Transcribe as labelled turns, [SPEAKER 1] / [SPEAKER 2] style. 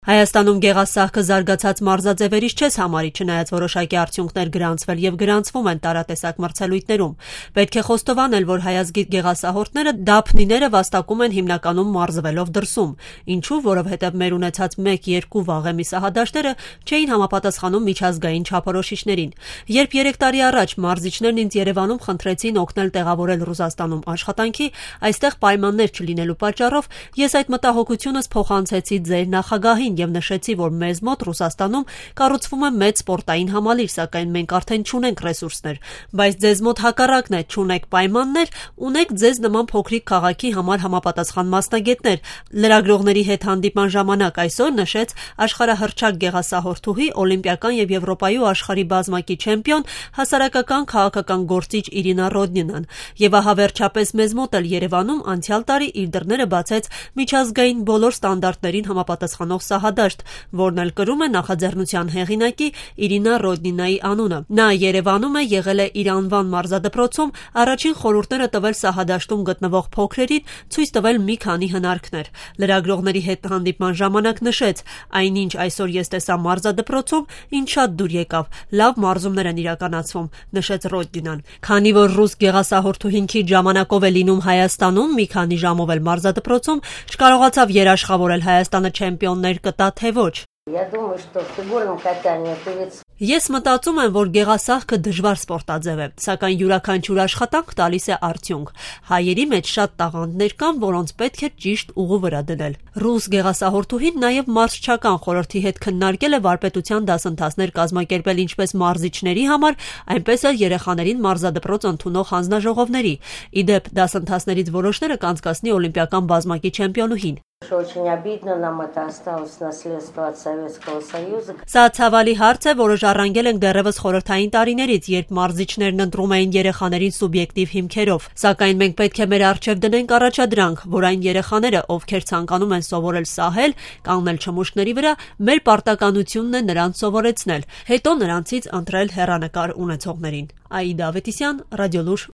[SPEAKER 1] Հայաստանում գեղասահքը զարգացած մարզաձևերից չես համարի, չնայած որոշակի արդյունքներ գրանցվել եւ գրանցվում են տարատեսակ մրցելույթներում։ Պետք է խոստովանել, որ հայազգի գեղասահորդները դափնիները վաստակում են հիմնականում մարզվելով դրսում։ Ինչու՞, որովհետեւ մեր ունեցած 1-2 վաղեմի սահադաշտերը չէին համապատասխանում միջազգային չափորոշիչներին։ Երբ 3 տարի առաջ մարզիչներն ինձ Երևանում խնդրեցին օգնել տեղավորել Ռուսաստանում աշխատանքի, այստեղ պայմաններ չլինելու պատճառով ես այդ մտահոգությունս փոխանցեցի ձեր նախագահին եւ նշեցի, որ մեզ մոտ Ռուսաստանում կառուցվում է մեծ սպորտային համալիր, սակայն մենք արդեն չունենք ռեսուրսներ, բայց ձեզ մոտ հակառակն է, չունեք պայմաններ, ունեք ձեզ նման փոքրիկ քաղաքի համար համապատասխան մասնագետներ։ Լրագրողների հետ հանդիպման ժամանակ այսօր նշեց աշխարհահռչակ գեղասահորդուհի, օլիմպիական եւ Եվրոպայի ու աշխարհի բազմակի չեմպիոն, հասարակական քաղաքական գործիչ Իրինա Ռոդնինան։ Եվ ահա վերջապես մեզ մոտ էլ Երևանում անցյալ տարի իր դռները բացեց միջազգային բոլոր ստանդարտներին համապատասխանող սահադաշտ, որն էլ կրում է նախաձեռնության հեղինակի Իրինա Ռոդնինայի անունը։ Նա Երևանում է, եղել է իր անվան մարզադպրոցում, առաջին խորհուրդները տվել սահադաշտում գտնվող փոքրերին, ցույց տվել մի քանի հնարքներ։ Լրագրողների հետ հանդիպման ժամանակ նշեց. այնինչ այսօր ես տեսա մարզադպրոցում, ինձ շատ դուր եկավ, լավ մարզումներ են իրականացվում, նշեց Ռոդնինան։ Քանի որ ռուս գեղասահորդուհին քիչ ժամանակով է լինում Հայաստանում, մի քանի ժամով էլ մարզադպրոցում, չկարողացավ երաշխավորել Հայաստանը չեմպիոններ կտա թե ոչ։ Ես մտածում եմ, որ գեղասահքը դժվար սպորտաձև է, սակայն յուրաքանչյուր աշխատանք տալիս է արդյունք։ Հայերի մեջ շատ տաղանդներ կան, որոնց պետք է ճիշտ ուղու վրա դնել։ Ռուս գեղասահորդուհին նաև մարզչական խորհրդի հետ քննարկել է վարպետության դասընթացներ կազմակերպել ինչպես մարզիչների համար, այնպես էլ երեխաներին մարզադպրոց ընդունող հանձնաժողովների։ Ի դեպ, դասընթացներից որոշները կանցկացնի օլիմպիական բազմակի չեմպիոնուհին։ Սա ցավալի հարց է, որը ժառանգել ենք դեռևս խորհրդային տարիներից, երբ մարզիչներն ընտրում էին երեխաներին սուբյեկտիվ հիմքերով։ Սակայն մենք պետք է մեր առջև դնենք առաջադրանք, որ այն երեխաները, ովքեր ցանկանում են սովորել սահել, կանգնել չմուշկների վրա, մեր պարտականությունն է նրանց սովորեցնել, հետո նրանցից ընտրել հեռանկար ունեցողներին։ Աիդա Ավետիսյան, Ռադիոլուր։